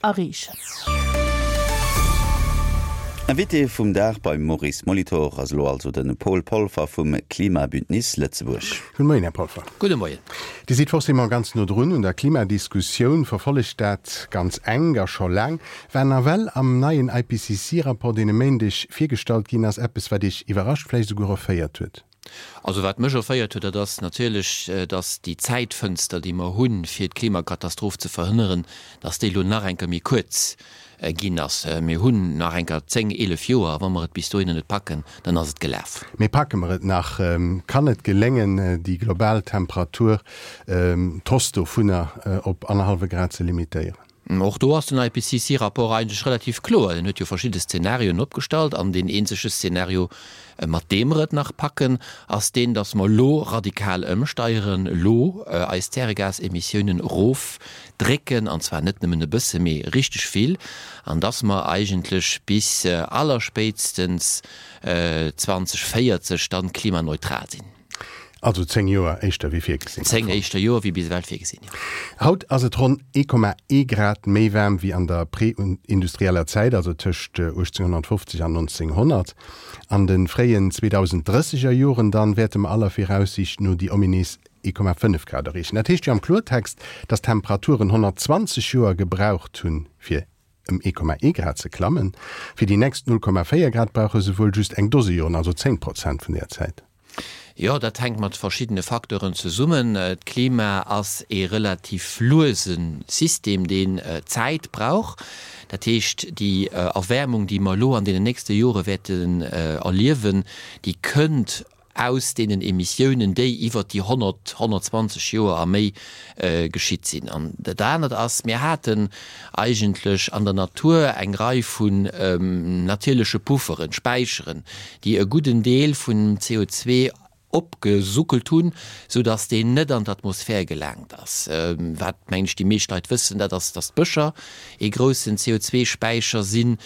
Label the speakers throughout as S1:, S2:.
S1: Erreechen.
S2: Invité vum Dag beim Maurice Molitor ass elo also de Paul Polfer vum Klimabündnis Lëtzebuerg.
S3: Gudde Moien, Här Polfer.
S4: Gudde Moien.
S3: Dir sidd forcément ganz no drun un der Klimadiskussioun, verfollegt dat ganz enk a scho laang. War nawell am neien IPCC-Rapport, deen e Méindeg virgestallt ginn ass, eppes, wat Iech iwwerrascht, vläicht esouguer erféiert huet?
S4: Also wat mech erféiert huet, dat ass natierlech, datt déi Zäitfënster, déi mer hunn, fir d'Klimakatastroph ze verhënneren, datt déi elo nach eng Kéier méi kuerz ginn ass. Mir hunn nach eng Kéier 10, 11 Joer, a wa mer et bis dohinner net packen, dann ass et gelaf.
S3: Mee packe mer et nach? Kann et geléngen, déi global Temperatur, d'Hausse dovunner, op annerhallwe Grad ze limitéieren?
S4: Och do ass den IPCC-Rapport eigentlech relativ kloer. En huet jo verschidde Szenarioen opgestallt an deen eenzege Szenario, mat deem mer et nach packen, ass deen, datt mer elo radikal ëmsteieren, elo eis Zäregasemissiounen erofdrécken, an zwar net nëmmen e bësse, mee richteg vill, an datt mer eigentlech bis allerspéitstens 2040 dann klimaneutral sinn.
S3: Also 10 Joer éischter wéi virgesinn.
S4: 10 éischter Joer wéi bis ewell virgesinn, jo.
S3: Haut ass et ronn 1,1 Grad méi waarm wéi an der preindustrieller Zäit, also tëscht 1850 an 1900. An de fréien 2030er Joren dann wäerte mer aller Viraussiicht no déi ominees 1,5 Grad erreechen. Dat heescht jo am Kloertext, dass d'Temperaturen 120 Joer gebraucht hunn, fir ëm 1,1 Grad ze klammen. Fir déi nächst 0,4 Grad brauche se wuel just eng Dose Joren, also 10 Prozent vun där Zäit.
S4: Jo, dat hänkt mat verschiddene Facteuren zesummen. D'Klima ass ee relativ luese System, deen Zäit brauch. Dat heescht, déi Erwäermung, déi mer elo an deenen nächste Jore wäerten erliewen, déi kënnt aus deenen Emissiounen, déi iwwert déi 100, 120 Joer a méi geschitt sinn. An dat anert ass, mir haten eigentlech an der Natur eng Rei vun natierleche Pufferen, Späicheren, déi e gudden Deel vun CO2 opgesuckelt hunn, soudass deen net an d'Atmosphär gelaangt ass. Wat, mengen ech, déi meescht Leit wëssen, dat ass, dass d'Bëscher ee groussen CO2-Späicher sinn,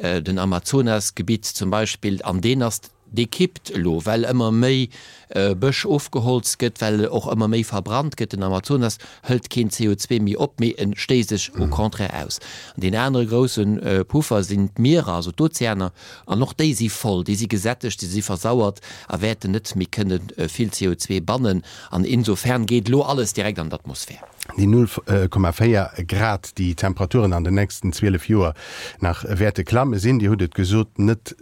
S4: den Amazonasgebitt zum Beispill, an deen ass Dee kippt elo, well ëmmer méi Bësch ofgeholzt gëtt, well och ëmmer méi verbrannt gëtt. Den Amazonas hëlt keen CO2 méi op, mee en stéisst sech au contraire aus. An deen anere grousse Puffer sinn d'Mierer, also d'Ozeaner, an och déi si voll, déi si gesättegt, déi si versauert a wäerten net méi kënne vill CO2 bannen. An insofern geet elo alles direkt an d'Atmosphär.
S3: Déi 0,4 Grad, déi d'Temperaturen an den nächsten 12 Joer nach wäerte klamme sinn, Dir hutt et gesot, net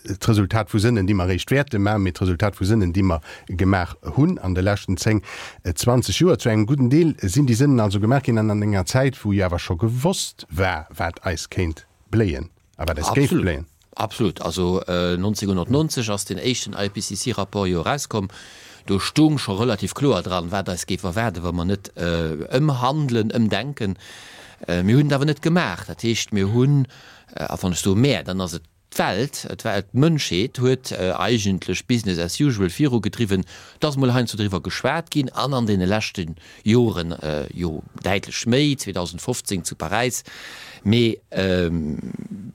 S3: d'Resultat vu Sënnen, déi mer eréischt wäerte maachen, mee d'Resultat vu Sënnen, déi mer gemaach hunn an de leschten 10, 20 Joer. Zu engem gudden Deel sinn déi Sënnen also gemaach ginn an an enger Zäit, wou jo awer scho gewosst war, wat eis kéint bléien a wat eis géif bléien.
S4: Absolut. Also 1990 ass deen éischten IPCC-Rapport jo erauskomm. Do stoung scho relativ kloer dran, wat eis géif erwaarden, wa mer net ëmhandelen, ëmdenken. Mir hunn et awer net gemaach. Dat heescht, mir hunn, a wann ech soe mär, dann ass et D'Welt, d'Mënschheet huet eigentlech Business as usual virugedriwwen. Et ass mol heiansdo driwwer geschwat ginn an an deene leschte Joren jo däitlech méi, 2015 zu Paräis. Mee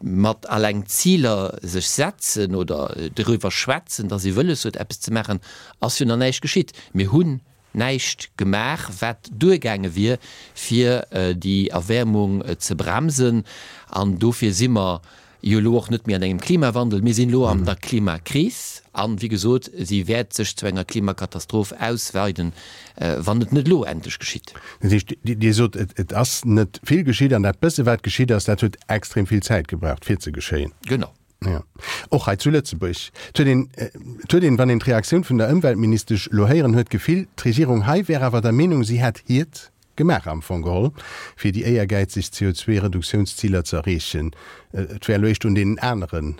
S4: mat alleng Ziler sech setzen oder driwwer schwätzen, datt ee wëlles huet eppes ze maachen, ass jo nach näischt geschitt. Mir hunn näischt gemaach, wat duergaange wier, fir déi Erwäermung ze bremsen. An dofir si mer jo elo och net méi an engem Klimawandel, mir sinn elo an der Klimakris. An, wéi gesot, si wäert sech zu enger Klimakatastroph ausweiden, wann et net elo endlech geschitt.
S3: Dat heescht, Dir sot, et ass net vill geschitt, an dat bësse wat geschitt ass, dat huet extrem vill Zäit gebraucht, fir ze geschéien.
S4: Genau.
S3: Jo, och hei zu Lëtzebuerg. Et huet een, et huet een, wann een d'Reaktioun vun der Ëmweltministesch elo héieren huet, d'Gefill, d'Regierung hei wär awer der Meenung, si hätt hiert gemaach am Fong geholl, fir déi éiergäizeg CO2-Reduktiounsziler ze erreechen. Et wär elo éischt un deenen aneren,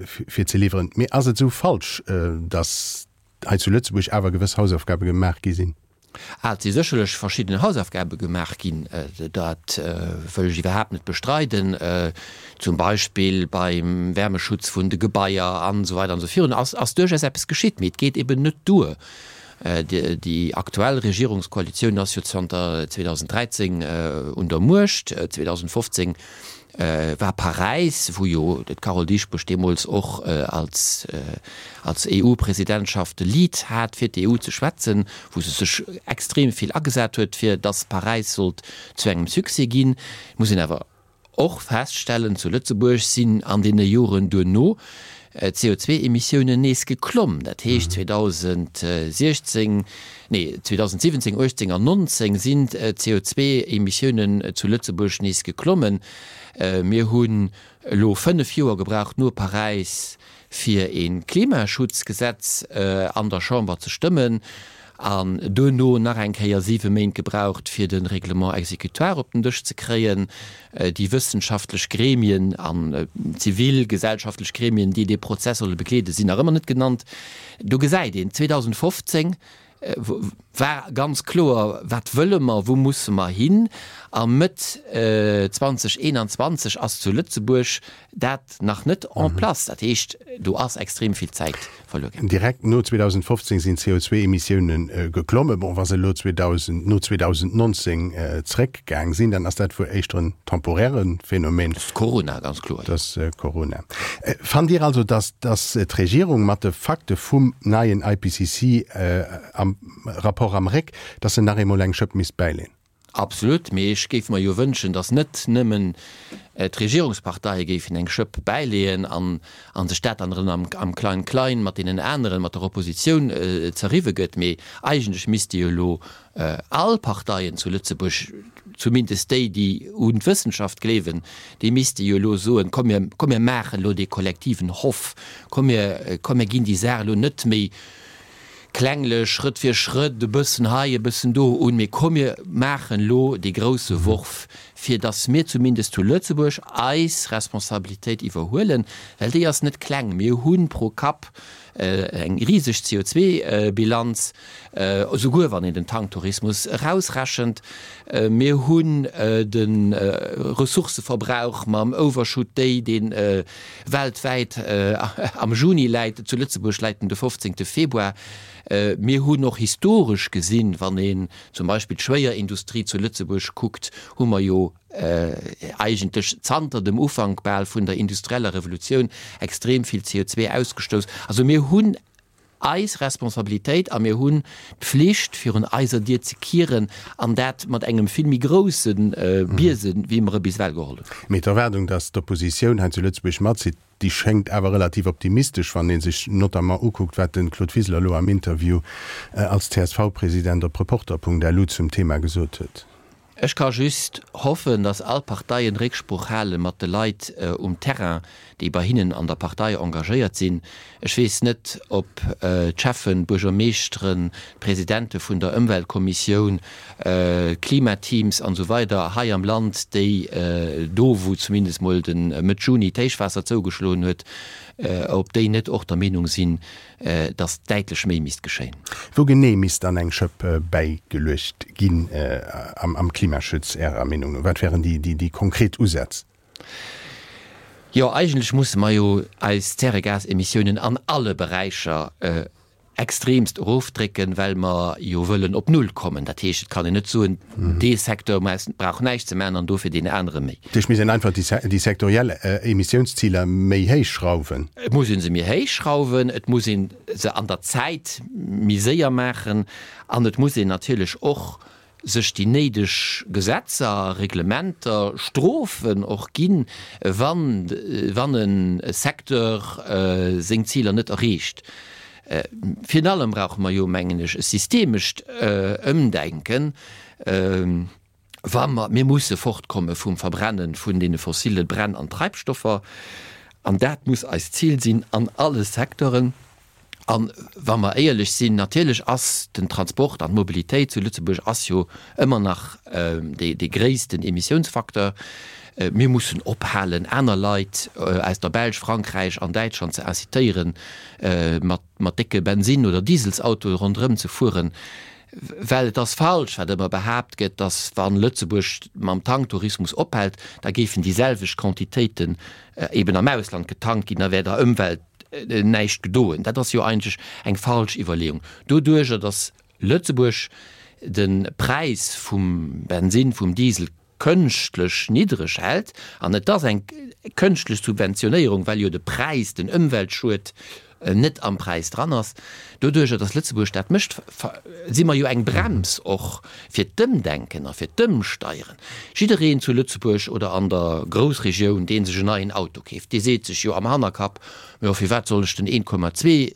S3: fir ze liwweren. Mee ass et esou falsch, datt hei zu Lëtzebuerg awer gewëss Hausaufgabe gemaach gi sinn?
S4: Ah, et si sécherlech verschidden Hausaufgabe gemaach ginn, dat wëll ech iwwerhaapt net bestreiden, zum Beispill beim Wärmeschutz vun de Gebaier an esou weider an esou virun ass ass duerchaus eppes geschitt, mee et geet eben net duer. Déi aktuell Regierungskoalitioun ass jo zanter 2013 un der Muecht. 2015 war Paräis, wou jo d'Carole Dieschbourg deemools och als als EU-Presidentschaft de Lead hat fir d'EU ze schwätzen, wou se sech extrem vill agesat huet, fir datt Paräis sollt zu engem Succès ginn. Et muss een awer. och feststellen, zu Lëtzebuerg sinn an deene Joren duerno d'CO2-Emissiounen nees geklomm. Dat heescht 2016, nee 2017, 18 an 19 sinn d'CO2-Emissiounen zu Lëtzebuerg nees geklommen. Mir hunn elo 5 Joer gebraucht no Paräis, fir ee Klimaschutzgesetz an der Chamber ze stëmmen an duerno nach eng Kéier siwe Méint gebraucht, fir de Règlement exécutoire op den Dësch ze kréien. Déi wëssenschaftlech Gremien an zivil-gesellschaftlech Gremien, déi dee Prozess solle begleeden, sinn nach ëmmer net genannt. Do gesäit een, 2015 war ganz kloer, wat wëlle mer, wou musse mer hin. A Mëtt 2021 ass zu Lëtzebuerg dat nach net en place. Dat heescht, do ass extrem vill Zäit verluer gaangen.
S3: Direkt no 2015 sinn d'CO2-Emissioune geklommen. Bon, wa se elo 2000, no 2019 zréckgaang sinn, dann ass dat wuel éischter en temporäre Phänomen.
S4: Dat ass Corona, ganz kloer.
S3: Dat ass Corona. Fannt Dir also, dass, dass d'Regierung mat de Fakte vum neien IPCC-Rapport am Réck, dass se nach eemol eng Schëpp misst bäileen?
S4: Absolut, mee ech géif mer jo wënschen, datt net nëmmen d'Regierungsparteie géifen eng Schëpp bäileeën an a sech dat dann erëm am Klein-Klein mat deenen aneren, mat der Oppositioun zerriwwe gëtt, mee eigentlech misste jo elo all Parteien zu Lëtzebuerg, zumindest déi, déi un d'Wëssenschaft gleewen, déi misste jo elo soen, komm mir, komm mir maachen elo dee kollektiven Hoff, komm mir, komm mir ginn déi Saach elo net méi klenglech, Schrëtt fir Schrëtt, e bëssen hei, e bëssen do un, mee komm mir maachen elo dee grousse Worf, fir datt mir zumindest zu Lëtzebuerg eis Responsabilitéit iwwerhuelen, well déi ass net kleng. Mir hu pro Kapp eng riseg CO2-Bilanz, esouguer wann een den Tanktourismus erausrechent. Mir hunn de Ressourcëverbrauch mam Overshoot Day, dee weltwäit am Juni läit, zu Lëtzebuerg läit en de 15 Februar. Mir hunn och historesch gesinn, wann een zum Beispill d'Schwéierindustrie zu Lëtzebuerg kuckt, hu mer jo eigentlech zanter dem Ufank bal vun der industrieller Revolutioun extrem vill CO2 ausgestouss. Also mir hunn eis Responsabilitéit a mir hunn d'Pflicht, virun eiser Dier ze kieren, an dat mat engem vill méi grousse Biesen, wéi mer e bis ewell geholl hunn.
S3: Mee d'Erwaardung, datt d'Oppositioun hei zu Lëtzebuerg matzitt, déi schéngt awer relativ optimistesch, wann ee sech notamment ukuckt, wat de Claude Wiseler elo am Interview als CSV-President op Reporter.lu zum Thema gesot huet.
S4: Ech ka just hoffen, datt all Parteien Récksprooch hale mat de Leit um Terrain, déi bei hinnen an der Partei engagéiert sinn. Ech weess net, ob d'Schäffen, d'Buergermeeschteren, d'Presidente vun der Ëmweltkommissioun, d'Klimateams an esou weider hei am Land, déi do, wou zumindest mol de Mëtt Juni d'Héichwaasser zougeschloen huet, ob déi net och der Meenung sinn, dass däitlech méi misst geschéien.
S3: Wou genee misst dann eng Schëpp bäigeluecht ginn am Klimaschutz, Ärer Meenung no? Wat wären déi konkret Usätz?
S4: Jo, eigentlech musse mer jo eis Zäregasemissiounen an alle Beräicher extremst erofdrécken, well mer jo wëllen op Null kommen. Dat heescht, et kann een net soen, dee Secteur brauch näischt ze maachen an dofir deen anere méi.
S3: Dat heescht, mir sinn einfach déi sektoriell Emissiounsziler méi héich schrauwen.
S4: Et muss ee se méi héich schrauwen, et muss ee se an der Zäit méi séier maachen an et muss een natierlech och sech déi néideg Gesetzer, Reglementer, Strofen och ginn, wann wann e Secteur seng Ziler net erreecht. Virun allem brauche mer jo, mengen ech, e systemescht Ëmdenken. Wa mer, mir musse fortkomme vum Verbrenne vun deene fossille Brenn an Treibstoffer, an dat muss eist Zil sinn an alle Secteuren. A wa mer éierlech sinn, natierlech ass den Transport an d'Mobilitéit zu Lëtzebuerg ass jo ëmmer nach dee gréissten Emissiounsfacteur. Mir mussen ophalen, aner Leit aus der Belsch, Frankräich an Däitschland ze incitéieren, mat mat décke Bensin oder Dieselsautoe ronderëm ze fueren, well et ass falsch, wat ëmmer behaapt gëtt, datt wa Lëtzebuerg mam Tanktourismus ophält, da géifen déi selwecht Quantitéiten eben am Ausland getankt ginn, da wär der Ëmwelt näischt gedoen. Dat ass jo eigentlech eng falsch Iwwerleeung. Doduerjer, datt Lëtzebuerg de Präis vum Bensin, vum Diesel kënschtlech niddreg hält, an et ass eng kënschtlech Subventionéierung, well jo de Präis den Ëmweltschued. net am Präis dran ass. Doduerjer, datt Lëtzebuerg dat mécht, si mer jo eng Brems och fir d'Ëmdenken a fir d'Ëmsteieren. Jiddereen zu Lëtzebuerg oder an der Groussregioun, dee sech en neien Auto keeft, dee seet sech jo am Hannerkapp, Jo, firwat soll ech den 1,2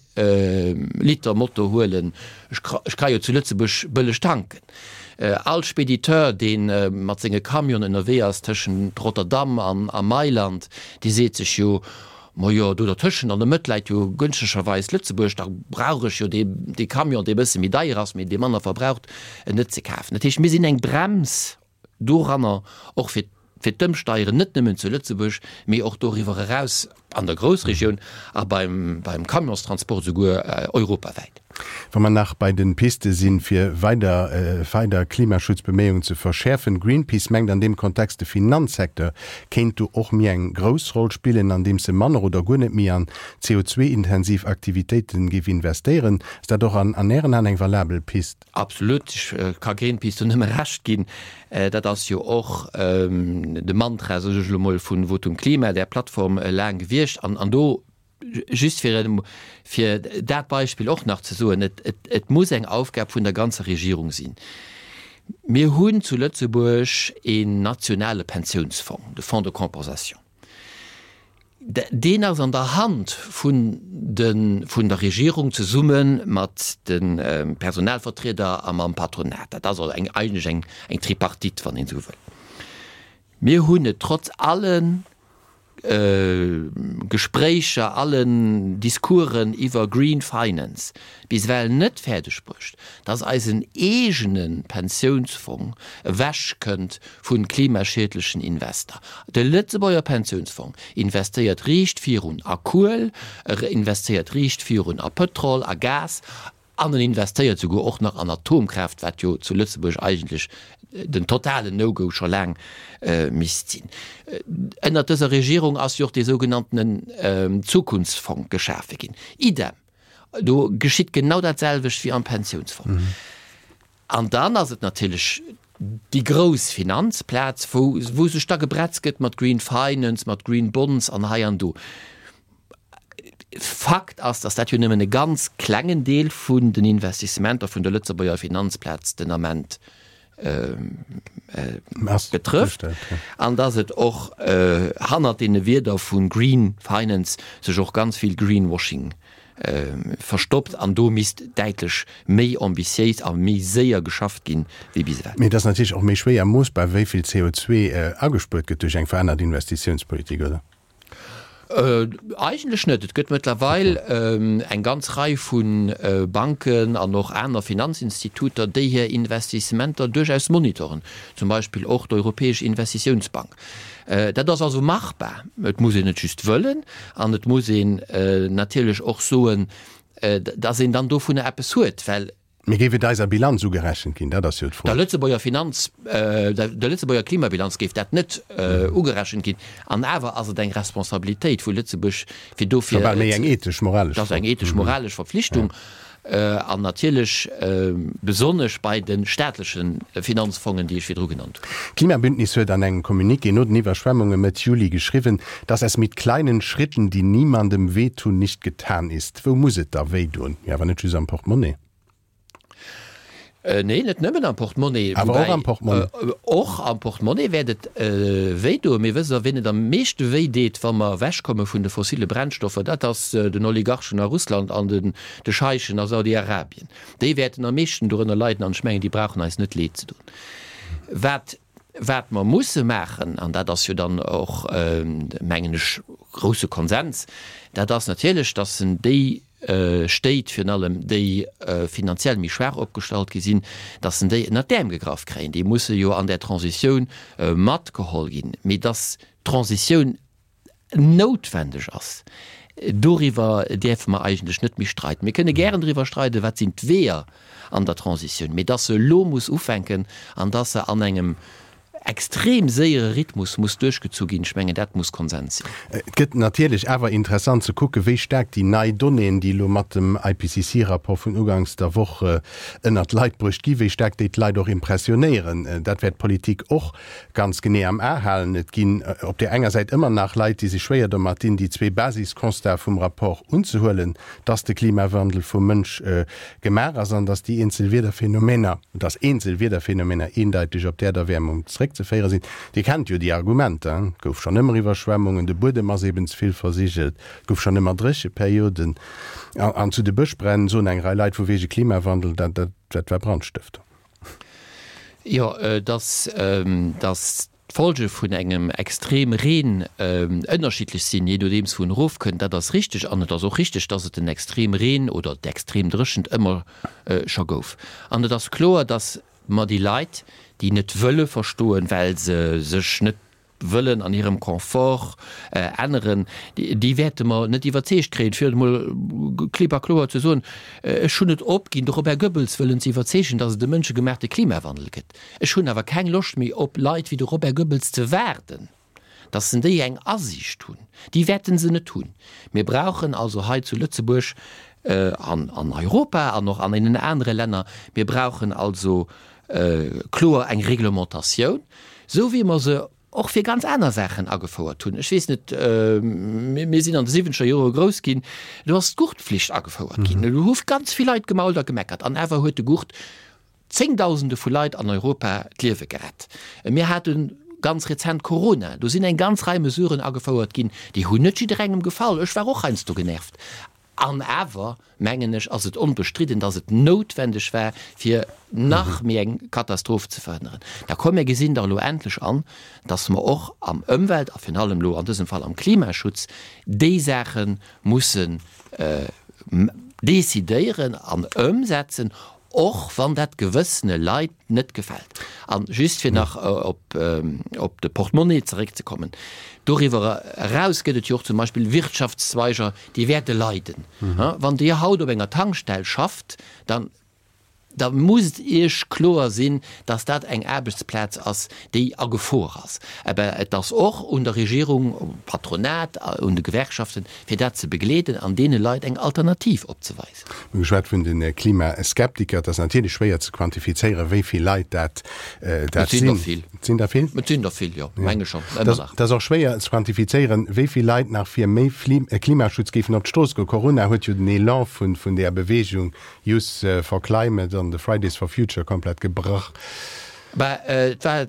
S4: Liter Motor huelen, ech ka jo zu Lëtzebuerg bëlleg tanken. All Spediteur, dee mat senge Camionen ënnerwee ass tëschent Rotterdam a Mailand, dee seet sech jo, Majo, do dertëschent an der Mëtt läit jo gënschtegerweis Lëtzebuerg, da brauch ech jo dee Camion, dee bësse méi deier ass, mee dee manner verbraucht, net ze kafen. Dat heescht, mir sinn eng Brems doranner och fir fir d'Ëmsteieren, net nëmmen zu Lëtzebuerg, mee och doriwwer eraus an der Groussregioun a beim beim Camionstransport esouguer europawäit.
S3: Wa mer nach bei de Piste sinn, fir weider weider Klimaschutzbeméiungen ze verschäerfen, Greenpeace mengt an deem Kontext, de Finanzsecteur kéint do och méi eng grouss Roll spillen, andeems e manner oder guer net méi an CO2-intensiv Aktivitéiten géif investéieren. Ass dat och an an Ären Aen eng valabel Pist?
S4: Absolut, ech ka Greenpeace do nëmme Recht ginn. Dat ass jo och de Mantra, soen ech elo mol, vu Votum Klima, där Plattform, laang gewiescht. An do, just fir fir dat Beispill och nach ze soen, et, et muss eng Aufgab vun der ganzer Regierung sinn. Mir hunn zu Lëtzebuerg een nationale Pensiounsfong, de Fonds de compensation. Deen ass an der Hand vun de vun der Regierung zesumme mat de Personalvertrieder a mam Patronat. Dat ass also eng eigentlech eng eng Tripartite, wann een esou wëll. Mir hunn et trotz alle Gespréicher, allen Discoursen iwwer Green Finance bis ewell net fäerdeg bruecht, dass eisen eegene Pensiounsfong ewech kënnt vu klimaschiedlechen Invester. De Lëtzebuerger Pensiounsfong investéiert riicht virun a Kuel, e investéiert riicht virun a Pëtrol, a Gas an en investéiert souguer och nach an Atomkraaft, wat jo zu Lëtzebuerg eigentlech den totalen No-Go scho laang misst sinn. Ënnert dëser Regierung ass jo och dee sougenanntenen Zukunftsfong geschafe ginn. Idem, do geschitt genau dat selwecht wéi am Pensiounsfong. An dann ass et natierlech déi grouss Finanzplaz, wou, wou sech da gebretzt gëtt mat Green Finance, mat Green Bonds an hei an do. Fakt ass, datt dat jo nëmmen e ganz klengen Deel vun den Investissementer vun der Lëtzebuerger Finanzplaz den Ament betrëfft an datt et och hannert deene Wierder vu Green Finance sech och ganz vill Greenwashing verstoppt an do misst däitlech méi ambitiéis a méi séier geschafft ginn, wéi bis ewell.
S3: Mee et ass natierlech och méi schwéier moossbar, wéi vill CO2 agespuert gëtt duerch eng verännert Investitiounspolitik, oder?
S4: Eigentlech net. Et gëtt mëttlerweil eng ganz Rei vu Banken an och aner Finanzinstituter, déi hir Investissementer duerchaus monitoren, zum Beispill och d'Europäesch Investitiounsbank. Dat ass also machbar. Et muss een et just wëllen an et muss een natierlech och soen, dass een dann dovunner eppes huet, well.
S3: Mee géif et eiser Bilanz ugerechent ginn? Dat ass jo d'Fro.
S4: Der Lëtzebuerger Finanz, der Lëtzebuerger Klimabilanz géif dat net ugerechent ginn. An awer ass et eng Responsabilitéit vu Lëtzebuerg, fir dofir.
S3: Scho bal méi eng ethesch-moralesch.
S4: Dat ass eng ethesch-moralesch Verpflichtung. An natierlech besonnesch bei de staatleche Finanzfongen, déi ech virdru genannt hunn.
S3: D'Klimabündnis huet an engem Communiqué no den Iwwerschwemmunge Mëtt Juli geschriwwen, dass es mit kleinen Schritten, die niemandem wehtun, nicht getan ist. Wou muss et da wéi doen? Jo, awer net just am Portemonnaie.
S4: Nee, net nëmmen am Portemonnaie.
S3: Awer och am Portemonnaie.
S4: Och am Portemonnaie wäert et wéi doen. Mee wësst Der, wien et am meeschte wéi deet, wa mer ewechkomme vun de fossille Brennstoffer? Dat ass den Oligarchen a Russland an de Scheichen a Saudi-Arabien. Déi wäerten am meeschten dorënner leiden an ech mengen, déi brauchen eis net leed ze doen. Wat Wat mer musse maachen, an dat ass jo dann och, mengen ech, grousse Konsens, dat ass natierlech, dass en déi Stéit virun allem, déi finanziell méi schwaach opgestallt gi sinn, dass en déi ënnert d'Äerm gegraff kréien. Déi musse jo an där Transitioun matgeholl ginn. Mee dass d'Transitioun noutwendeg ass, doriwwer däerfe mer eigentlech net méi streiden. Mir kënne gären driwwer streiden, wat sinn d'Weeër an der Transitioun, mee dass se elo muss ufänken an dass se an engem. extrem séiere Rhythmus muss duerchgezu ginn, ech mengen, dat muss Konsens sinn.
S3: Et gëtt natierlech awer interessant ze kucken, wéi staark déi nei Donnéeën, déi elo mat dem IPCC-Rapport vun uganks der Woch ënnert d'Leit bruecht gi, wéi staark déi d'Leit och impressionéieren. Dat wäert d'Politik och ganz genee am A halen. Et ginn op där enger Säit ëmmer nach Leit, déi sech schwéier domat dinn, déi zwee Basisconstatë vum Rapport unzehuelen, dass de Klimawandel vum Mënsch gemaach ass an dass déi eenzel Wiederphänomener, dass eenzel Wiederphänomener eendeiteg op d'Äerderwäermung zeréckzeféiere sinn. Dir kennt jo déi Argumenter, et gouf schonn ëmmer Iwwerschwemmungen, de Buedem ass eben ze vill versigelt, et gouf schonn ëmmer Drécheperioden. An zu de Bëschbränn soen eng Rei Leit, vu wege Klimawandel, dat dat war Brandstëftung.
S4: Jo, dass dass d'Folge vun engem extrem Reen ënnerschiddlech sinn, jee nodeems wou en erofkënnt, dat ass richteg. An et ass och richteg, dass et den extrem Reen oder d'extrem Dréchent ëmmer scho gouf. An et ass kloer, dass mer déi Leit, déi net wëlle verstoen, well se sech net wëllen an hirem Confort änneren, déi wäerte mer net iwwerzeegt kréien. Fir et emol klipp a kloer ze soen, Ech hunn et opginn, de Robert Goebbels wëllen ze iwwerzeegen, dass et e mënschegemaachte Klimawandel gëtt. Ech hunn awer keng Loscht méi op Leit wéi de Robert Goebbels ze waarden, dass en déi eng Asiicht hunn. Déi wäerten se net hunn. Mir brauchen also hei zu Lëtzebuerg an an Europa an och an deenen anere Länner, mir brauchen also kloer eng Reglementatioun, esou wéi mer se och fir ganz aner Saachen agefouert hunn. Ech weess net, mir sinn an de siwwenzeger Jore grouss ginn, do ass d'Gurtpflicht agefouert ginn. Do hu ganz vill Leit gemault a gemeckert an awer huet de Gurt Zéngdausende vu Leit an Europa d'Liewe gerett. Mir hate ganz rezent Corona, do sinn eng ganz Rei Mesuren agefouert ginn, déi hunn net jidderengem gefall. Ech war och heiansdo genervt. An awer, mengen ech, ass et onbestridden, dass et noutwendeg war, fir nach méi eng Katastroph ze verhënneren. Da komm, mir gesinn dach elo endlech an, dass mer och am Ëmwelt a virun allem elo an dësem Fall am Klimaschutz déi Saache mussen decidéieren an ëmsetzen, Och wann dat gewëssene Leit net gefält. An just fir nach op op de Portemonnaie zeréckzekommen, doriwwer eraus gëtt et jo och zum Beispill Wirtschaftszweiger, déi wäerte leiden. Wann Dir haut op enger Tankstell schafft, dann da musst Iech kloer sinn, dass dat eng Aarbechtsplaz ass, déi a Gefor ass. Awer et ass och un der Regierung, um Patronat, un de Gewerkschaften, fir dat ze begleeden an deene Leit eng Alternativ opzeweisen.
S3: Mir hu geschwat vun de Klimaskeptiker. Et ass natierlech schwéier ze quantifizéieren, wéi vill Leit dat
S4: dat sinn. Et sinn der vill.
S3: Et sinn der vill?
S4: Et sinn der vill, jo, menge schonn, ëmmer
S3: nach. Et ass och schwéier ze quantifizéieren, wéi vill Leit nach fir méi Klimaschutz géifen op d'Strooss goen. Corona huet jo den Elan vun där Beweegung Youth for Climate an de Fridays for Future komplett gebrach.
S4: Bah, et war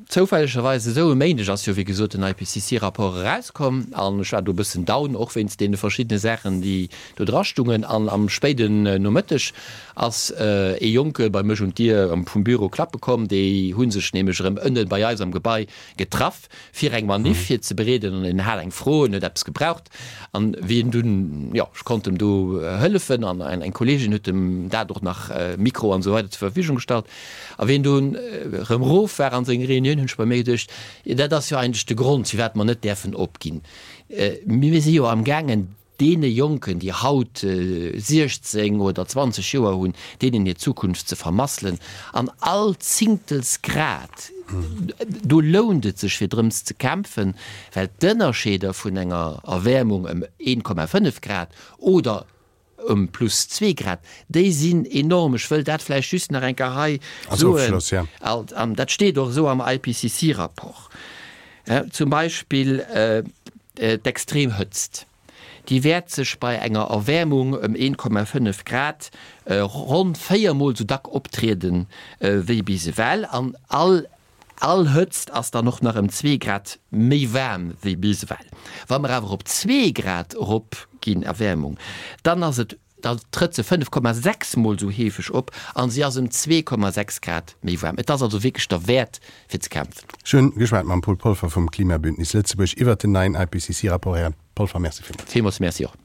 S4: zoufällegerweis esou, e Méindeg ass jo wéi gesot den IPCC-Rapport erauskomm an ech war do e bëssen down, och wéinst deene verschiddene Saachen, déi do dra stungen. An am spéiden Nomëtteg ass ee Jonke bei mech un d'Dier vum Büro klappe komm. Déi hu sech nämlech erëm ënne bei eis am Gebai getraff, fir eng Maniff virzebereeden. An en hat eng Fro, en huet eppes gebraucht. An wéi en dunn, jo, ech konnt em do hëllefen an eng Kolleegin huet em dat och nach, Mikro an esou weider, zur Verfügung gestallt. A wéi en dunn erëm erof war an seng Reunioun, hunn ech bei mir geduecht, jo, dat ass jo eigentlech de Grond, firwat mer net däerfen opginn. Mir si jo amgaangen, deene Jonken, déi haut 16 oder 20 Joer hunn, deenen hir Zukunft ze vermasselen. An all Zingtelsgrad, do lount et sech fir drëms ze kämpfen, well d'Ënnerscheeder vun enger Erwäermung ëm 1,5 Grad oder ëm plus zwee Grad, déi sinn enorm. Ech wëll dat vläicht just nach eng Kéier hei soen, an dat steet och esou am IPCC-Rapport, zum Beispill d'extrem Hëtzt, déi wäert sech bei enger Erwäermung ëm 1,5 Grad ronn véiermol esou dack optrieden wéi bis ewell. An all All Hëtzt ass dann och nach ëm zwee Grad méi waarm wéi bis ewell. Wa mer awer op zwee Grad erop ginn, Erwäermung, dann ass et, da trëtt se 5,6 mol esou heefeg op an si ass ëm 2,6 Grad méi waarm. Et ass also wierklech derwäert fir ze kämpfen.
S3: Ech hunn geschwat mam Paul Polfer vum Klimabündnis Lëtzebuerg iwwert den neien IPCC-Rapport. Här Polfer, Merci villmools.
S4: Villmools Merci och.